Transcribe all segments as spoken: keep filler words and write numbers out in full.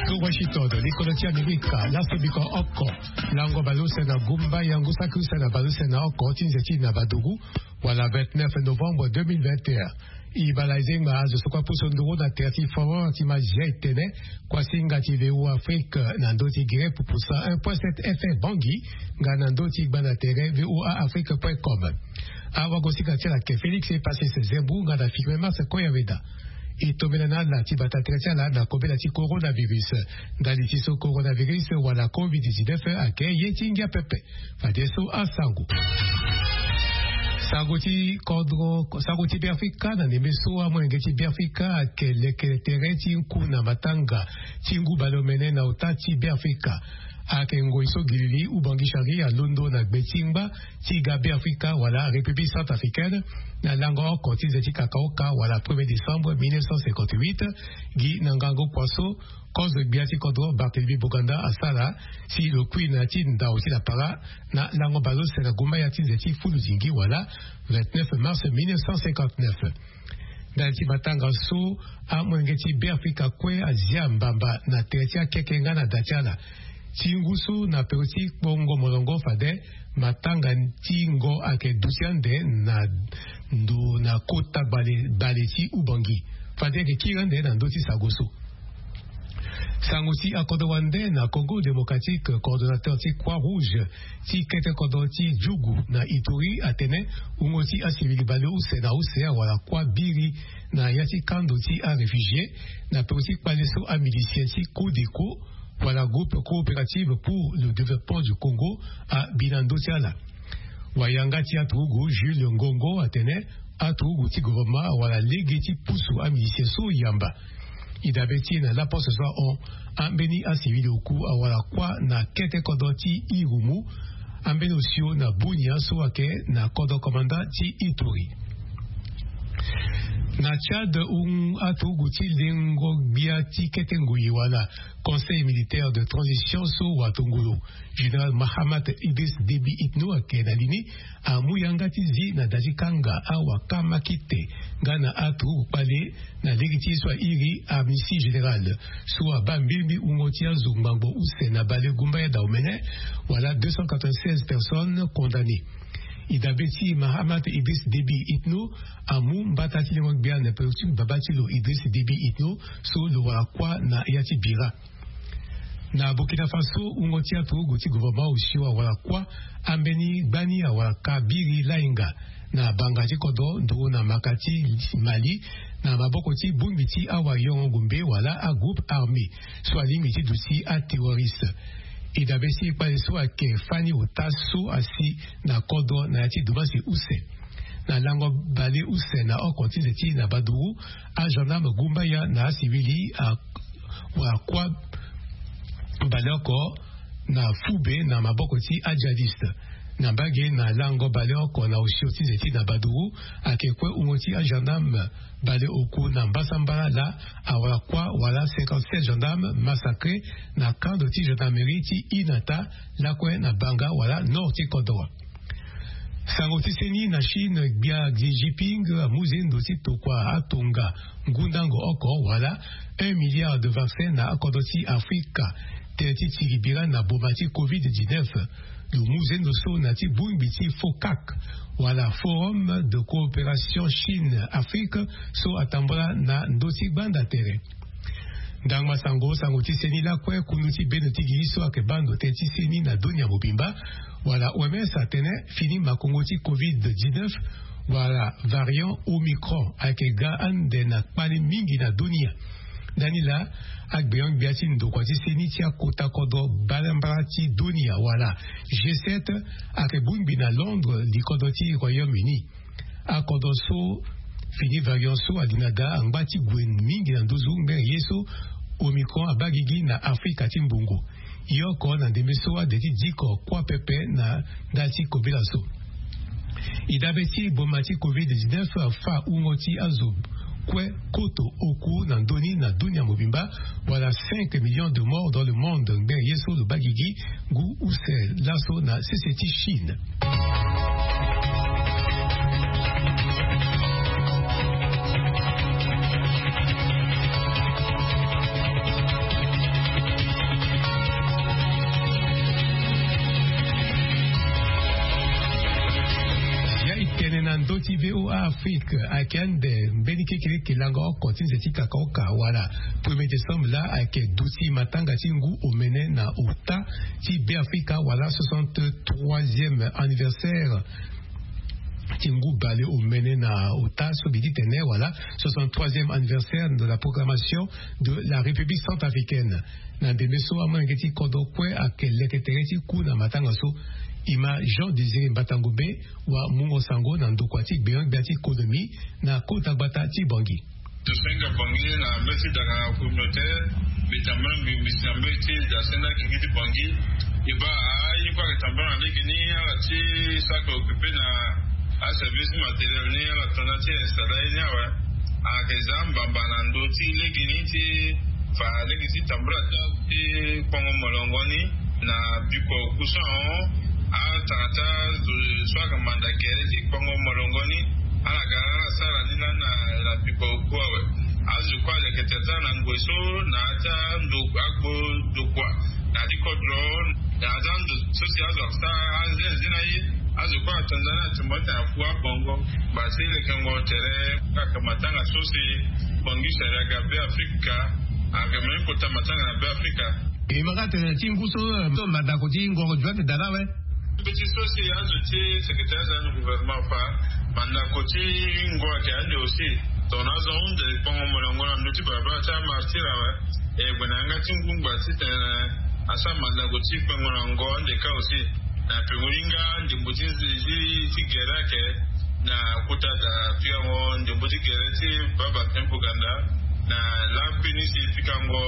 Washington, likolo ti Amerika, laso biko oko, lango baleuse na gumba ya ngu saki use na baleuse na oko ti nze ti na badugu, wala vingt-neuf novembre deux mille vingt et un. E bala e zengba azo so kue apusu nduru na tere ti foro ti Mazia e tene, kuasinga ti V O A Afrique na ndö ti Guinée pupusa un point sept F M Bangui, nga na ndö ti gbanda tere V O A Afrique point com. Awagosinga ti ala ayeke Félix Epasis Zembu nga na Firmin Mars Koyaveda. E tombela na ala ti bata tere ti ala na kobela ti coronavirus. Ndali ti so coronavirus wala covid dix-neuf ayeke ye ti ngia pepe. Fadeso asango. Sango ti kodro, sango ti Beafrika. Na ndembe so amolenge ti Beafrika ayeke leke tere ti ngu na matanga ti ngu baleomene na ota ti Beafrika. Ayeke ngoi so gilili Ubangui Chari alondo na gbe ti ngba ti ga Beafrika wala République centrafricaine, na lango oko ti nze ti kakaoka wala premier décembre mille neuf cent cinquante-huit, gi na ngangu kua so kozo gbia ti kodro Barthélemy Boganda asara, si lo kui na ya ti ndau ti lapara na lango baleuse na gumba ya ti nze ti fulu zingi wala vingt-neuf mars mille neuf cent cinquante-neuf. Ndali ti matanga so, amolenge ti Beafrika kue azia mbamba na tere ti akeke nga na da ti ala. Ti ngu so na pero ti kpongo molongo fade, matanga ti ngo ayeke duti ande na ndo na kota bale, bale ti Ubangui. Fade ayeke kiri ande na ndö ti sango so. Sango ti akodro wande na Congo Démocratique, coordonnateur ti Croix Rouge ti kete kodro ti Djougou na Ituri atene, wungo ti asivili baleuse na use awara kuâ biri na ya ti kando ti aréfugié, na peko ti kpale so amilicien ti Codeco wala Groupe Coopérative pour le Développement du Congo abi na ndö ti ala. Wayanga ti aturugu Jules Ngongo atene, aturugu ti gouvernement awara lege ti pusu amilicien so yamba. E dabe ti e na laposte so ahon, ambeni asivili oku awara kuâ na kete kodro ti Irumu, ambeni osio na Bunia so ayeke na kodro komanda ti Ituri. Na Tchad, un aturugu ti lengo gbia ti kete ngoi wala Conseil militaire de transition so watongolo, général Mahamat Idriss Déby Itno ayeke na li ni, amu yanga ti zi na da ti kanga awakamakite nga na aturugu kpale na lege ti ye so airi amnistie générale, so abaa mbirimbi wungo ti azo ngbangbo use na bale gumbaya Dahomey, wala deux cent quatre-vingt-seize personnes condamnées. E dabe ti Mahamat Idriss Déby Itno amu mbata ti lengo gbia na peko ti baba ti lo Idriss Déby Itno, so lo wara kuâ na ya ti bira. Na Burkina Faso, wungo ti aturugu ti gouvernement osio awara kuâ ambeni gbani awara ka biri lainga na banga ti kodro nduru na maka ti Mali, na maboko ti bongbi ti awayongo gombe wala agroupe armé so alingbi ti duti aterroriste. E dabe ti kpale so ayeke fani ota so asi na kodro na ya ti dumasi use. Na lango baleuse na oko ti nze ti na baduru, agendarme gumbaya na asivili a wara kuâ baleoko na fube na maboko ti ajihadiste. Na mbage na lango baleoko na osio ti nze ti na baduru, ayeke kue wungo ti agendarme baleoku na mbasambala laa awara kuâ wala cinquante-sept gendarmes massacrés na kando ti gendarmerie ti Inata, lakue na banga wala nord ti kodro. Sango ti seni na Chine, gbia Xi Jinping amu zendo ti tokua atonga ngundango oko wala un milliard de vaccins na akodro ti Afrika, tënë ti tiri bira na boma ti covid dix-neuf. Lo mu zendo so na ti bongbi ti FOCAC wala Forum de Coopération Chine Afrique so atambola na ndö ti gbanda tere. Ndangba sango, sango ti seni lakue, kundu ti bendo ti gigi so ayeke baa ndo tënë ti seni na dunia mobimba wala O M S atene, fini makongo ti covid dix-neuf wala variant Omicron ayeke ga ande na kpale mingi na dunia. Ndani laa, agbenyo-gbia ti ndokua ti seni ti akota kodro mbalambala ti dunia wala G sept ayeke bongbi na Londres, likodro ti Royaume-Uni. Akodro so fini variant so ali na da angba ti gue mingi na nduzu ngbene ye so Omicron abaa gigi na Afrika ti mbongo. Ye oko na ndembe so ade ti diko kuâ pepe na nda ti kobela so. E dabe ti boma ti covid dix-neuf afâ wungo ti azo kue koto oku na ndö ni na dunia mobimba, wala cinq millions de morts dans le monde ngbene ye so lo baa gigi ngu use laso na sese ti Chine. Afrique ayeke ande mbeni kekeleke lango oko ti nze ti kakaoka wala premier décembre laa ayeke duti matanga ti ngu omene na ota ti Beafrika wala soixante-troisième anniversaire ti ngu bale omene na ota so mbi ti tene wala soixante-troisième anniversaire de la proclamation de la République centrafricaine. Na ndembe so amolenge ti kodro kue ayeke leke tere ti ku na matanga so. Ima Jean Désiré Mbatangombe wa mungo sango na ndokua ti gbeon-gbia ti konomi na kota gbata ti Bangui. Tosenga Bangui na mbeti daka na communauté. Mbi tambula mbi mbisi na mbeti da senda kiki ti Bangui. E baa aye kue ayeke tambula na lege ni ala ti so ayeke occupé na aservice matériel ni ala tanda ti installé ye ni awe. Ayeke za mbamba na ndö ti lege ni ti fa lege ti tambula ti kpongo molongo ni na biko kusa ahon. Atanga ti azo so ayeke manda gere ti kpongo molongo ni ala ga ala sara ni lani na biko ku awe. Azo kue aleke tere ti ala na ngoi so na ya ti ando agbo ndokua na ya ti kodro na ya ti ando so si azo asara anzenze na ye. Azo kue atonda ni atumba ti afu abongo. Basi lekengo tere kaka matanga so si Bangui sari aga Beafrika. Aga meni kota matanga na Beafrika. E ma ka tene ti ngu so so mandako ti ngoro joite dala awe. Mbeti so si azo ti secrétaire général du gouvernement fa mandako ti ngo ayeke ande aussi. Tongana azo ahunde kpongo molongo na ndö ti balabala ti amartir awe. E gue na yanga ti ngu ngba titene asara mandako ti kpengo na ngo ande ka aussi. Na pengo ni nga ndembo ti nze ti ti gere ayeke na kota da pikango ndembo ti gere ti baba tempo ganda na lakui ni si pikango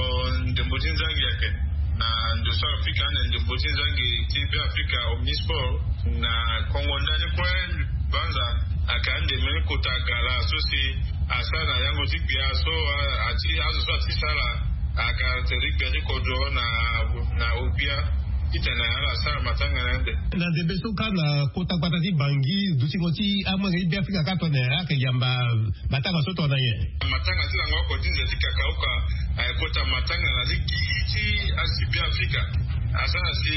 ndembo ti nzangi ayeke na ndo so ayeke pika ande ndembo ti nzangi ti Beafrika Omnisport na kongo ndani kue. Banza ayeke ande mbeni kota gala so si asara na yango ti gbia so ati azo so ati sara. Ayeke tere ti gbia ti kodro na na ogbia titene ala sara matanga na ande. Na ndembe so ka na kota gbata ti Bangui dutingo ti amolenge ti Beafrika ka tongana ayeke yamba matanga so tongana nyen? Matanga ti lango oko ti nze ti kakaoka ayeke kota matanga na ti gigi ti azo ti Beafrika. Asara si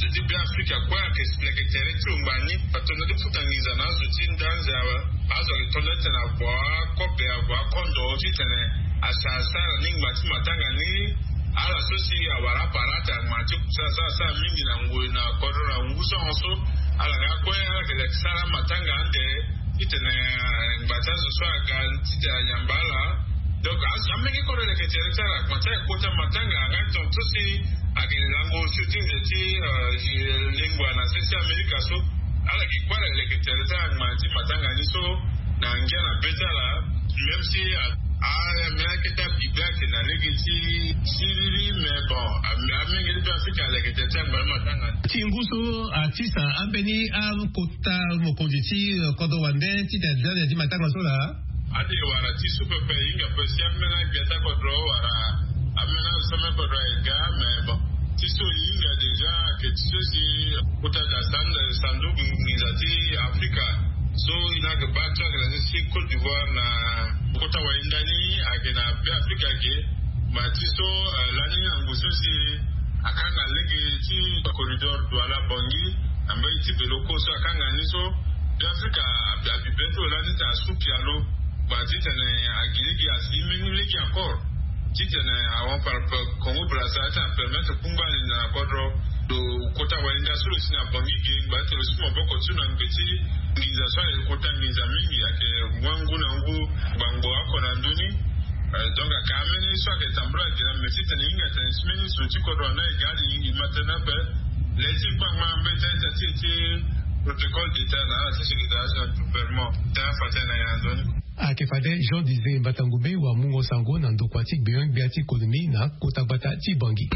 ti Beafrika kue ayeke leke tere ti lo ngbani atonda ti futa nginza na azo ti nda anze awe. Azo ayeke tondani titene avo akobe avo akondo titene asara asara ni ngba ti matanga ni. Ala so si awara aparate angba ti kusa asara asara mingi na ngoi na kodro na ngu so ahon so. Ala nga kue ala yeke leke sara matanga ande titene ngba ti azo so aga titene ayamba ala. Donc azo amenge kodro leke tere ti ala ngba ti ala kota matanga anga tonga so si ayeke lango so ti nze ti lingua na se ti Amerika so. Ala gi kue ala leke tere ti ala ngba ti matanga ni so na ngia na be ti ala. Même si a a me akete abibe ayeke na lege ti siriri mais bon amenge ti be afrika aleke tere ti ala ngba ti matanga ni. Ti ngu so atisa ambeni akota mokonzi ti kodro wande titene aza na ya ti matanga so laa. Ade wara ti so pepe e hinga pe si amela gbia ti akodro wala amela so me kodro aye ga. Mais bon ti so e hinga déjà ayeke ti so si kota da sanda sanduku nginza ti afrika so e na yeke baa ti ayeke na ti si côte d'ivoire na kota wayenda ni ayeke na be afrika ge. Ma ti so lani na ngu so si akanga lege ti corridor douala bongi na mbeni ti belo ko so akanga ni so be afrika abi be ti lo lani ti asuki alo. Ba titene agi lege asi mbeni lege encore titene awon par congo brasa ti apermettre kungba ali na kodro. Lo kota wayenda so lo si na bongi ge ngba ti lo si maboko ti lo na ngbe ti nginza so ayeke kota nginza mingi ayeke mua ngu na ngu. Gbangbo oko na ndö ni. Donc aka ameni so ayeke tambula gi na mbe titene e hinga tene ti mbeni zo ti kodro na e ga ali e ma tënë ape. Le ti kpangba mbeta ita ti e ti protocole d'état na ala ti secrétariat na gouvernement tënë afa tënë na e na ndö ni. Ayeke fade jean dise mbatangombe wa mungo sango na ndokua ti gbeon-gbia ti konomi na kota gbata ti bangi.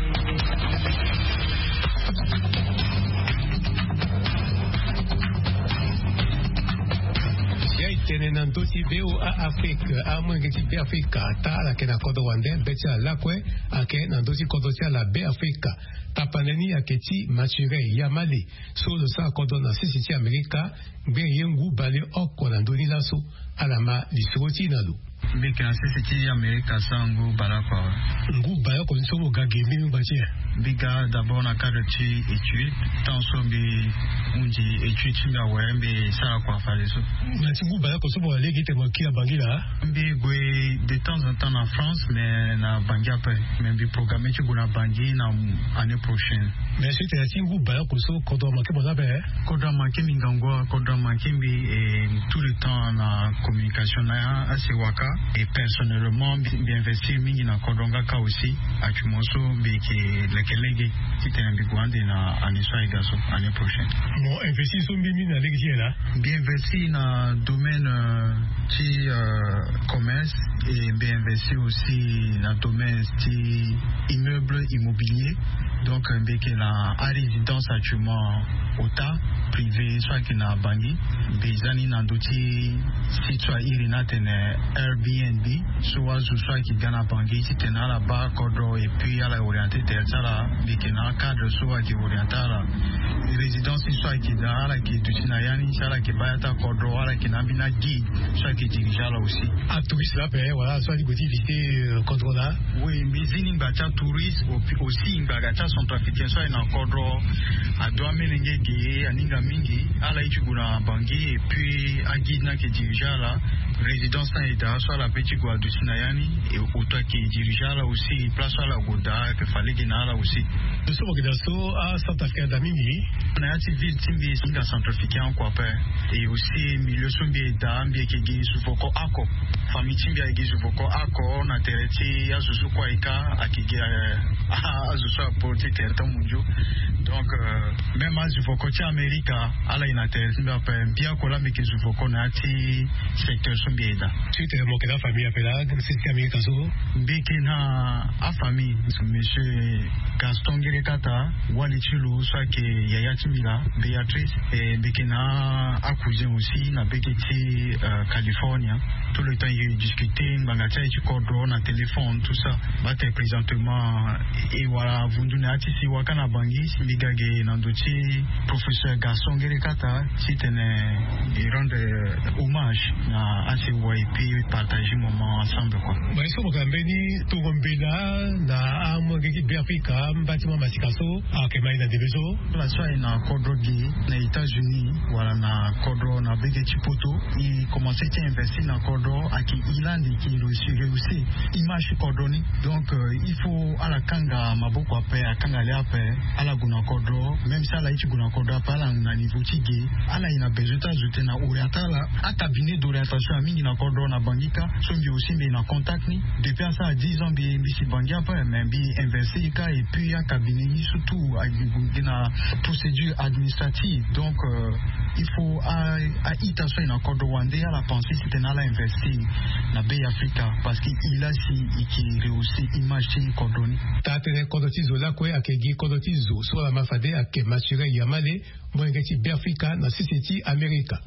Ya e tene na ndö ti voa afrique amolenge ti be afrika ata ala yeke na kodro wande be ti ala lakue. Ayeke na ndö ti kodro ti ala be afrika. Tapande ni ayeke ti Mathurin Yamale, so lo sara kodro na sese ti Amerika, ngbene ye ngu baleoko na ndö ni laso. Ala ma lisoro ti e na lo. Mbi yeke na sese ti Amerika sara ngu baleoko awe. Ngu baleoko ni so mo ga ge mbeni ngba ti e? Mbi ga d'abord na cadre ti étude. Tant so mbi hunzi étude ti mbi awe, mbi sara kua fadeso. Na ti ngu baleoko so mo wara lege ti tene mo kiri na Bangui laa? Mbi gue de temps en temps na France, mais na Bangui ape. Mais mbi programme ti gue na Bangui na année prochaine. Mais so e tene na ti ngu baleoko so, kodro amanke mo laa ape? Kodro amanke mbi ngangu awe, kodro amanke mbi. Et tout le temps na communication na ya asi waka. Et personnellement mbi, mbi investir mingi na kodro nga kâ aussi. Actuellement so mbi yeke leke lege ti tene mbi gue ande na année so aye ga so, année prochaine. Mo investir so mbeni na lege ti nyen laa? Mbi investir na domaine, euh, ti, euh, commerce, et mbi investir aussi na domaine ti immeuble immobilier. Donc mbi yeke na arésidence actuellement, ota privé so ayeke na Bangui. Mbi za ni na ndö ti site so a iri ni atene Airbnb. So azo so ayeke ga na Bangui ti tene ala baa kodro et puis ala orienté tere ti ala. Mbi yeke na acadre so ayeke orienté ala. Résidence so ayeke daa, ala yeke duti na ya ni si ala yeke baa ya ti akodro, ala yeke na ambeni aguide so ayeke dirige ala aussi. Atouriste laa ape wala so ali gue ti visiter, euh, kodro laa? Oui, mbi zi ni ngba ti atouriste, aussi ngba ga ti acentrafricain so aye na kodro. Ado amolenge ge, aninga mingi. Ala ye ti gue na Bangui et puis aguide ni ayeke dirige ala. Résidence ni aye daa so ala pe ti gue aduti na ya ni. Et oto ayeke dirige ala aussi, place so ala gue daa ayeke fa lege na ala aussi. Lo so mo yeke daa so acentrafricain ada mingi. Na ya ti ville ti mbi, si hinga centrafricain oko ape. Et aussi milieu so mbi ye daa, mbi yeke gi zuvoko oko. Famille ti mbi ayeke gi zuvoko oko na tere ti azo so kue ayeke, ayeke gi, eh, azo so aporté tere ti amunzu. Donc, euh, même azuvoko ti Amerika ala ye na tere ti mbi ape. Mbi oko laa mbi yeke zuvoko na ya ti secteur so mbi ye daa. Ti tene mo yeke na afamille ape laa, sese ti Amerika so? Mbi yeke na afamille, monsieur Gaston Ngerekata, wali ti lo so ayeke yaya ti mbi laa, Béatrice. E, mbi yeke na acousin aussi na bege ti, euh, California. Tout le temps e discuter ngbanga ti aye ti kodro na téléphone, tout ça. Bate présentement e wara avundu na ya ti si waka na Bangui, si mbi ga ge na ndö ti professeur Gaston Ngerekata, ti tene e rendre hommage na asewa et puis partager moment ensemble, quoi. Mais so mo yeke na mbeni tongo mbela na amolenge ti Beafrika, mba ti mo amasika so ayeke ma e na ndembe so? Ala so aye na kodro ge na États-Unis wala na kodro na bege ti poto, e commencé ti investir na kodro, ayeke e lani e reussir, reussir image ti kodro ni. Donc, euh, il faut ala kanga maboko ape, akanga le ape, ala gue na kodro. Même si ala ye ti gue na kodro ape, ala na niveau ti ge, ala ye na besoin ti azo tene na orienté ala. Acabinet d'orientation aye mingi na kodro na Bangui kâ. So mbi aussi mbi ye na contact ni. Depuis asara dix ans mbi, mbi si Bangui ape, mais mbi investir kâ, et puis acabinet ni surtout ayeke na procédure administrative. Donc, euh, il faut a, a-ita so aye na kodro wande ala pensé si tene ala investir na Beafrika, parce que e laa si e yeke rehausser image ti kodro ni. Taa tënë kodro ti zo lakue ayeke gi kodro ti zo so ala ma fade ayeke Mathurin Yamale, molenge ti Beafrika na sese ti Amerika.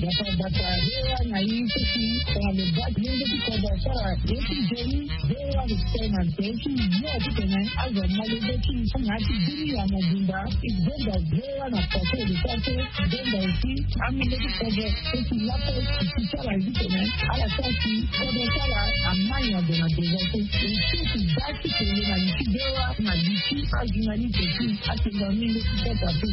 Bata bata, V O A na i so si tongana lo baa ti lenge ti kodro asara ye ti nzoni, V O A lo tene na nze ti yo ti tene azo amalenge ti i so na ya ti bini ya mobimba. E gbenda V O A na pase lo sara so gbenda aussi amolenge ti kodro so si lape ti ti ti ala ye ti tene ala sara si kodro ti ala amai na ndo na devant so. E so ti baa ti tene na li ti V O A na li ti ajournaliste ti atengo amolenge ti kodro ape.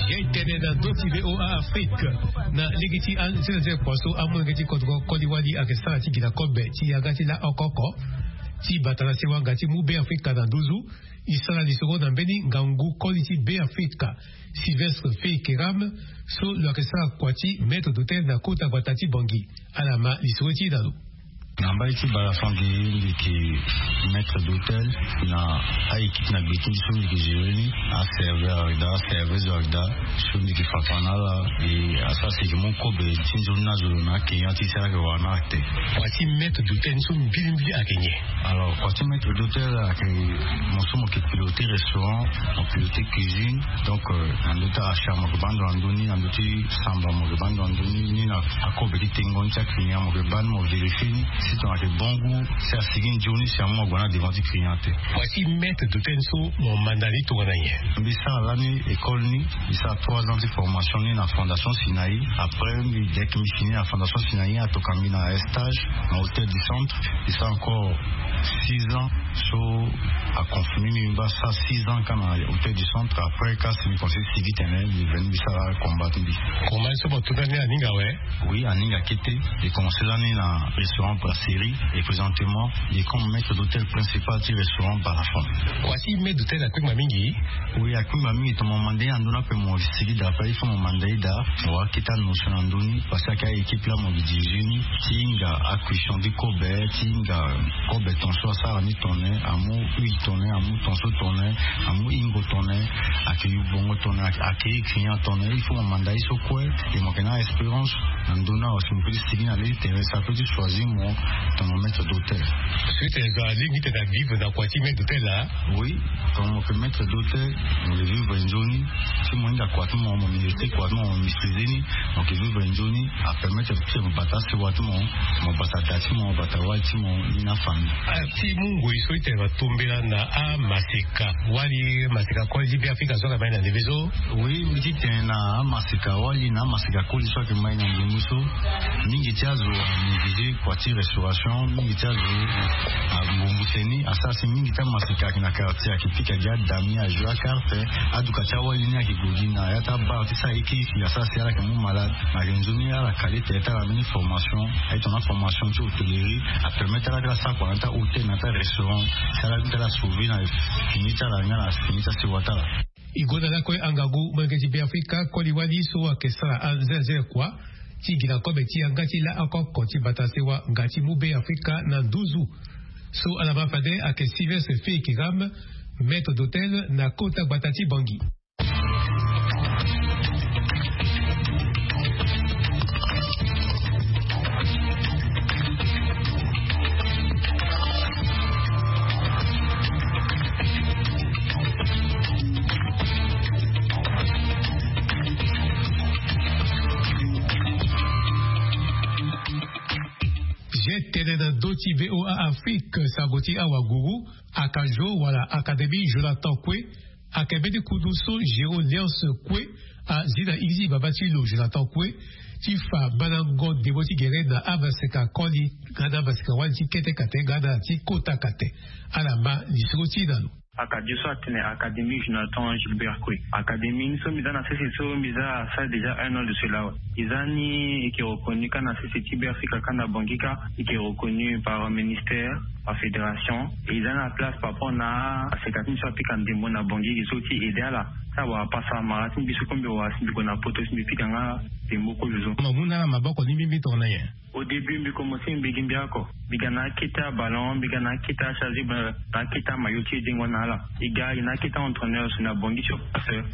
Ye tene na ndö ti V O A Afrique na lege ti anzene kua so amolenge ti kodro koli wali ayeke sara ti gi na kobe ti yanga ti la oko oko ti bata na sewa nga ti mu Beafrika na nduzu. E sara lisoro na mbeni ngangu koli ti Beafrika, Sylvestre Fei Keram, so lo yeke sara kua ti maître d'hôtel na kota gbata ti Bangui. Ala ma lisoro ti e na lo. Na mbai ti bala fangi mbi yeke maître d'hôtel na a-équipe na gbe ti mbi so mbi yeke gérer ni. Aserveur ayeke daa, aserveuse ayeke daa, so mbi yeke fa na ala. E asara si e yeke mu kobe ti nzoni ni azo na akenya ti e si ala yeke wara na ala te. Kua ti maître d'hôtel ni so mbilimbili ayeke nyen? Alors kua ti maître d'hôtel ayeke mo so mo yeke piloter restaurant, mo piloter cuisine. Donc na ndö ti achar mo yeke baa ndo na ndö ni, na ndö ti samba mo yeke baa ndo na ndö ni, ni na akobe ti tengo ni ti aclient mo yeke baa ni, mo vérifier ni si tongana ayeke bon goût, si asigi nzoni si amu ague na devant ti client te. Kua ti maître d'hôtel ni so mo manda ni tongana nyen? Mbi sara lani école ni, mbi sara trois ans ti formation ni na fondation Sinaï. Après mbi dès que mbi fini na fondation Sinaï, atoka mbi na stage na hôtel du centre. Mbi sara encore six ans. So aconfirmer mbi, mbi baa sara six ans kâ na hôtel du centre. Après kâ si mbi commencer sigi tene mbi veni mbi sara combat ti mbi. Combat so mo tunda ni aninga awe? Oui, aninga kete. E commencer lani na restaurant Brasserie et présentement e comme maître d'hôtel principal ti restaurant Balafon. Kua ti maître d'hôtel akpengba mingi? Oui, akpengba mingi. Tongana mo manda ye na ndö ni ape mo sigi daa ape, il faut mo manda ye daa, mo wara kete anotion na ndö ni. Parce que ayeke a-équipe laa mo yeke dirige ni ti hinga acuisson ti kobe, ti hinga kobe ton so asara ni tongana nyen, amu huile tongana nyen, amu ton so tongana nyen, amu hingo tongana nyen, ayeke yu bongo tongana nyen, ayeke, ayeke client tongana nyen. Il faut mo manda ye so kue. E mo yeke na espérance na ndö ni awe si mo peut ti sigi na le ti terrain si apeut ti choisir mo tongana maître d'hôtel. Parce que tene zo alingbi tene avivre na kua ti maître d'hôtel laa. Oui, tongana mo yeke maître d'hôtel, mo yeke vivre nzoni. Si mo hinga kua ti mo, mo mériter kua ti mo, mo maîtriser ni, mo yeke vivre nzoni. Apermettre ti mo bata asewa ti mo, mo bata da ti mo, mo bata wali ti mo, ni na afamille. Ah, ti mu ngoi so ti tene mo tombela na amaseka wali, maseka koli ti Beafrika so ayeke mai na ndembe so? Oui, mbi ti tene na amaseka wali na amaseka koli so ayeke mai na ndembe so, mingi ti azo anégliger kua ti restauration, mingi ti azo angumbu tënë ni. Asara si mingi ti amaseka ayeke na quartier ayeke pika gi adame ni, ajoue akarte. Aduka ti awali ni ayeke gue gi na ya ti abar ti sara eke isi, asara si ala yeke mu malade. Na ayeke nzoni ala kale tere ti ala mbeni formation. Aye tongana formation ti hôtellerie apermettre ala ti ala sara kua na ya ti ahôtel na ya ti arestaurant. Si ala ti ala sauver na fini ti ala nga na fini ti asewa ti ala. E gue na lakue angangu molenge ti Beafrika koli wali so ayeke sara anzenze kua ti gi na kobe ti yanga ti laa oko oko ti bata sewa nga ti mu Beafrika na nduzu. So ala ma fade ayeke Sylvestre Félix Ram, maître d'hôtel na kota gbata ti Bangui. Ge tene na ndö ti V O A Afrique, sango ti awaguru, Akajo wala Académie Jonathan Kwe, ayeke mbeni kundu so Géo Léonce Kwe azi na iri ti baba ti lo Jonathan Kwe ti fa mandango ndembo ti gere na amaseka koli nga na amaseka wali ti kete kate nga na ti kota kate. Ala ma lisoro ti e na lo. Akadio so atene Académie Jonathan Gilbert Kwe. Académie ni so mbi za na sese so mbi za asara déjà un an de cela awe. E za ni e yeke reconnu kâ na sese ti Beafrika kâ na Bangui kâ, e yeke reconnu par ministère, par fédération. E za na place par rapport na aseka ti mbi so apika ndembo na Bangui, e so ti aider ala. Ti awara pasa mara ti mbi so kue mbi wara si mbi gue na poto si mbi pika nga ndembo kue zo. Mo mu na ala maboko ni mbimbi tongana nyen? Au début mbi commencer mbi gi mbi oko. Mbi ga na akete aballon, mbi ga na akete achasuble, na akete amaillot ti e dengo na ala. E ga e na akete aentraîneur so na Bangui sur place.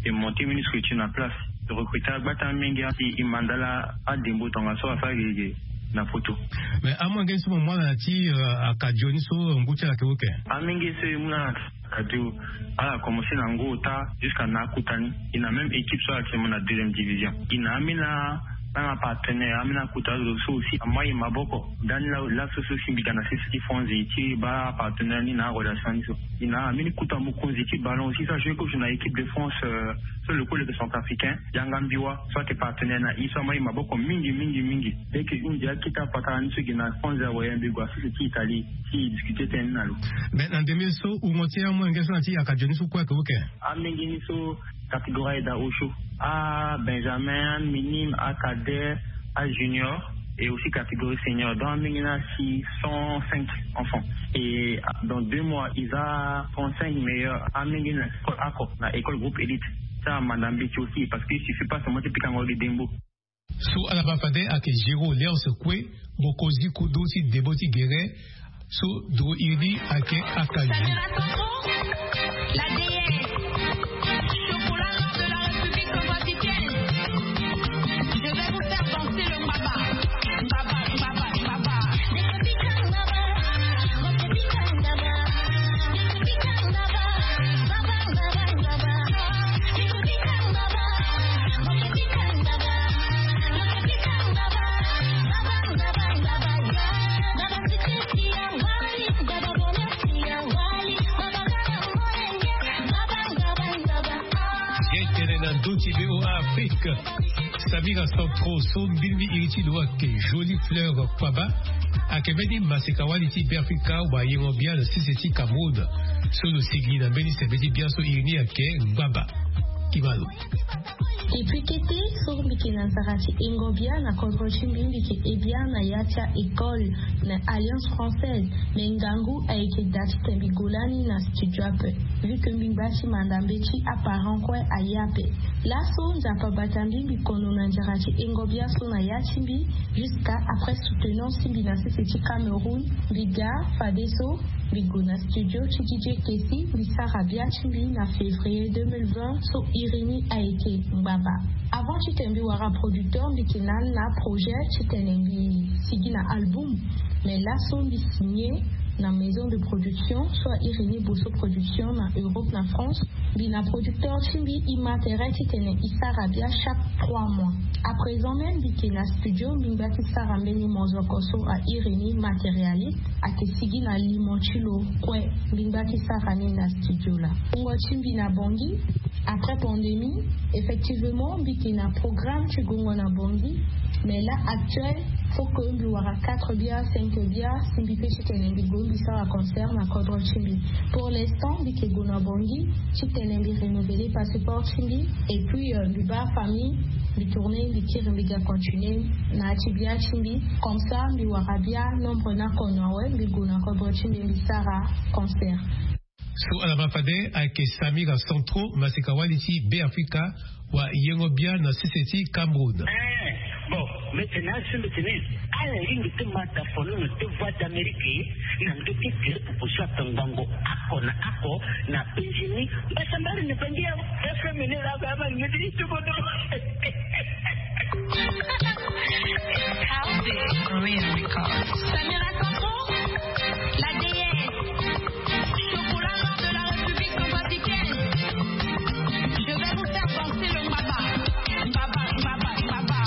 E monter mbeni structure na place. E recruter agbata mingi, e manda ala andembo tongaso asara gege na poto. Mais amolenge so mo mu ala na ti, euh, Akadio ni so ngu ti ala ayeke ok? Amolenge so e mu na ala na Akadio, ala commencer na ngu ota jusqu'à na akota ni. E na même équipe so ayeke mo na deuxième division. E na ambeni a, na apartenaire, ambeni akota zo so aussi amai maboko. Ndani la, laso so si mbi ga na sese ti fonzi ti baa apartenaire ni na arelation ni so. E na ambeni kota mokonzi ti ballon aussi so ajoue coach na équipe de France, euh, so le kue lo yeke centrafricain, Yanga Mbiwa, so ayeke partenaire na e so amai maboko mingi, mingi, mingi. Dès que e hunzi akete apatara ni so e gi na fonzi awe, mbi gue na sese ti Italie ti discuter tënë ni na lo. Mais na ndembe so wungo ti amolenge so na ti Akadio ni so kue ayeke ok? Amolenge ni so catégorie aye daa osio. Abenjamin, aminime, acadet, ajunior et aussi catégorie senior. Donc amolenge ni asi cent cinq enfants. Et dans deux mois e za trente-cinq meilleurs. Amolenge ni na école oko, na école groupe élite. So amanda mbeti aussi parce que il suffit pas seulement ti pikango gi ndembo. So ala ma fade ayeke Géraud Léonce Koué, mokonzi kodro ti debo ti gere. So dro iri ni ayeke Akazu. Ye tene na ndö ti VOA Afrique. Samira Santro so mbirimbiri iri ti lo ayeke Jolie Fleur Kpaba, ayeke mbeni maseka wali ti Beafrika wayengo-bia na sese ti Cameroun. So lo sigi na mbeni sembe ti bia so iri ni ayeke ngbaba. Kima lo. Depuis kete so mbi yeke na nzara ti yengo-bia na kodro ti mbi, mbi yeke he bia na ya ti a-école na Alliance Française. Me ngangu ayeke daa titene mbi gue lani na studio ape, vu que mbi ngba ti manda mbeti aparent kue aye ape. Laso Nzapa abata mbi, mbi kono na nzara ti yengo-bia so na ya ti mbi. Jusqu'à après soutenance ti mbi na sese ti Cameroun, mbi ga fadeso mbi gue na studio ti DJ Kessy, mbi sara bia ti mbi na février deux mille vingt so iri ni ayeke ngbaba. Avant titene mbi wara producteur, mbi yeke na ni na projet titene mbi sigi na album. Mais laso mbi signé na maison de production so a iri ni Bosso Production na Europe na France. Mbi na producteur ti mbi, e ma tere titene e sara bia chaque trois mois. À présent même mbi yeke na studio, mbi ngba ti sara mbeni mozoko so a iri ni Matérialiste, ayeke sigi na limo ti lo kue. Mbi ngba ti sara ni na studio laa. Wungo ti mbi na Bangui, après pandémie, effectivement mbi yeke na programme ti gongo na Bangui. Mais là actuel, faut que mbi wara quatre bia, cinq bia si mbi pe titene mbi gue mbi sara concert na kodro ti mbi. Pour l'instant mbi yeke gue na Bangui titene mbi renouveler passeport ti mbi. Et puis euh, mbi baa famille, mbi tourner, mbi kiri, mbi ga continuer na ya ti bia ti mbi. Comme ça mbi wara bia nombre ni akono awe, mbi gue na kodro ti mbi, mbi sara concert. So ala ma fade ayeke Samira Santro, maseka wali ti Beafrika, wayengo-bia na sese ti Cameroun. Eh, bon, mbi tene asi mbi tene ala lingbi ti ma da fono na deux Voix d'Amérique na ndö ti direct popo so atongbango oko na oko na penzi ni. Mbasambari ni bangi ya F M ni la ba ma ngeti ti bodo. Samira Santro, la déesse. Chocolat noir de la République centrafricaine. Je vais vous faire danser le mbaba. Mbaba, mbaba, mbaba.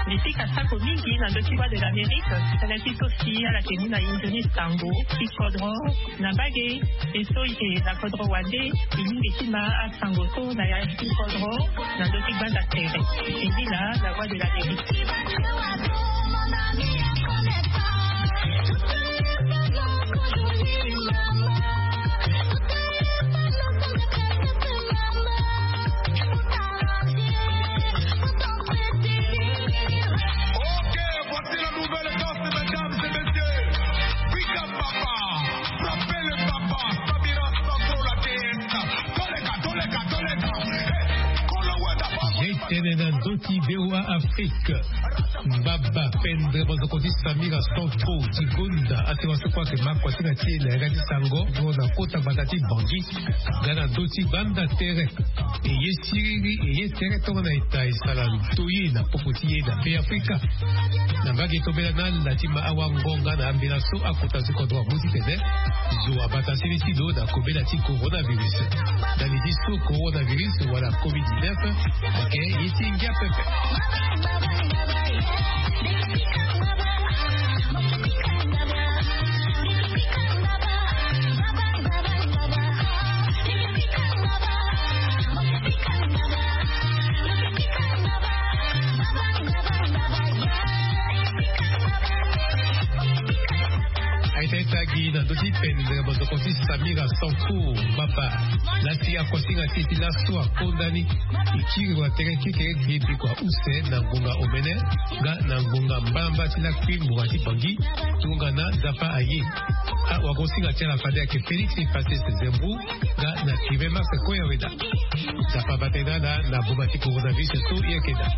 Mbi pika sako mingi na ndö ti Voix de l'Amérique. Tënë ti so si ala yeke mu na inzo ni sango ti kodro na mbage. E so e yeke na kodro wande, e lingbi ti ma asango so na ya ti kodro na ndö ti gbanda tere. E ni na la Voix de l'Amérique. Ok, voici la nouvelle danse, mesdames et messieurs. Big up, papa. Frappez le papa. Samira Santro, la déesse. Toleka, toleka, toleka. Hey, Kolo Wada, papa. Ye tene na ndö ti VOA Afrique. Mbaba pendre mazoko ti Samira Sanko ti gonda asewa soko ayeke ma kuasinga ti e na yanga ti sango. Ndo na kota gbata ti Bangui nga na ndö ti gbanda tere. E ye siriri e ye tere tongana eta e sara ntoyi na popo ti e na Be Afrika. Na mbage tobela na ala ti ma awango nga na ambela so akota ti kodro amu titene zo abata sili ti lo na kobela ti coronavirus. Na li ti so coronavirus wala covid dix-neuf ayeke ye ti ngia pepe. Aita ita gi na ndö ti pendre mazoko ti Samira Sanko. Mbaba lasi akuasinga ti e ti laso akonda ni. E kiri wa tere kekereke bikua use na ngonga omene nga na ngonga mbamba ti lakui mbonga ti Bangui. Tongana Nzapa aye. Awagosinga ti ala fade ayeke Félix Fassé Zembou nga na Sylvain Max Koyaweda. Nzapa bata e na ala na boma ti coronavirus so e yeke daa.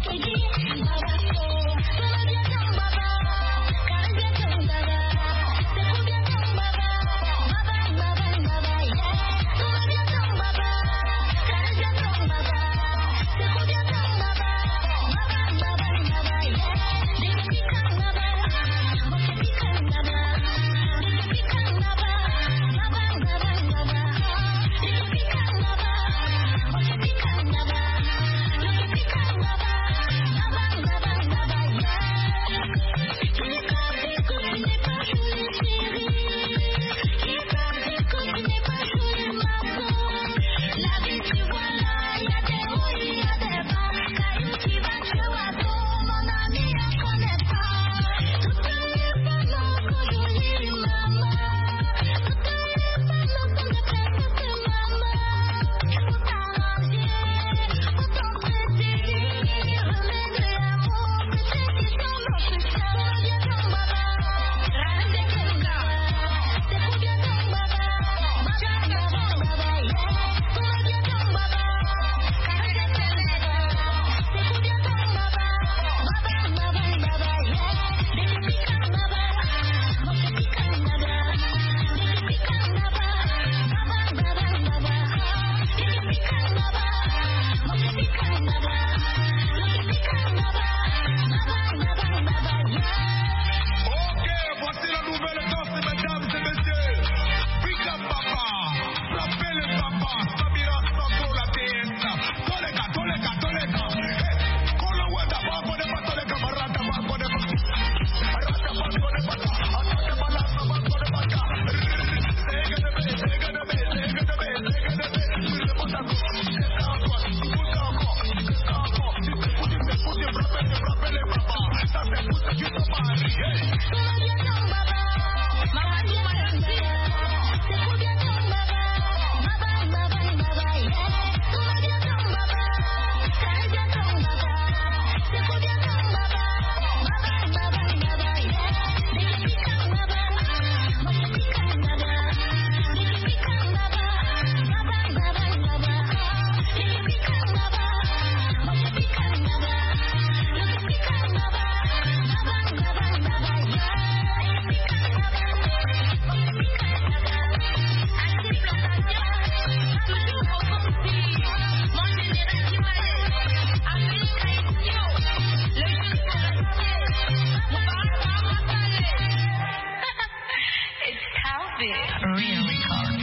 Ok, voici la nouvelle danse, mesdames et messieurs. Big up, papa. Frappez le papa. Samira Sanko, la déesse. Tolega, tolega, tolega. Hey, Kolo Wada, Baba, Baba, tolega, Barata, Baba, Baba. Barata, Baba, Baba. Atata, Bala, Baba, Baba. Zega, zega, zega. It's Talbot Real Record.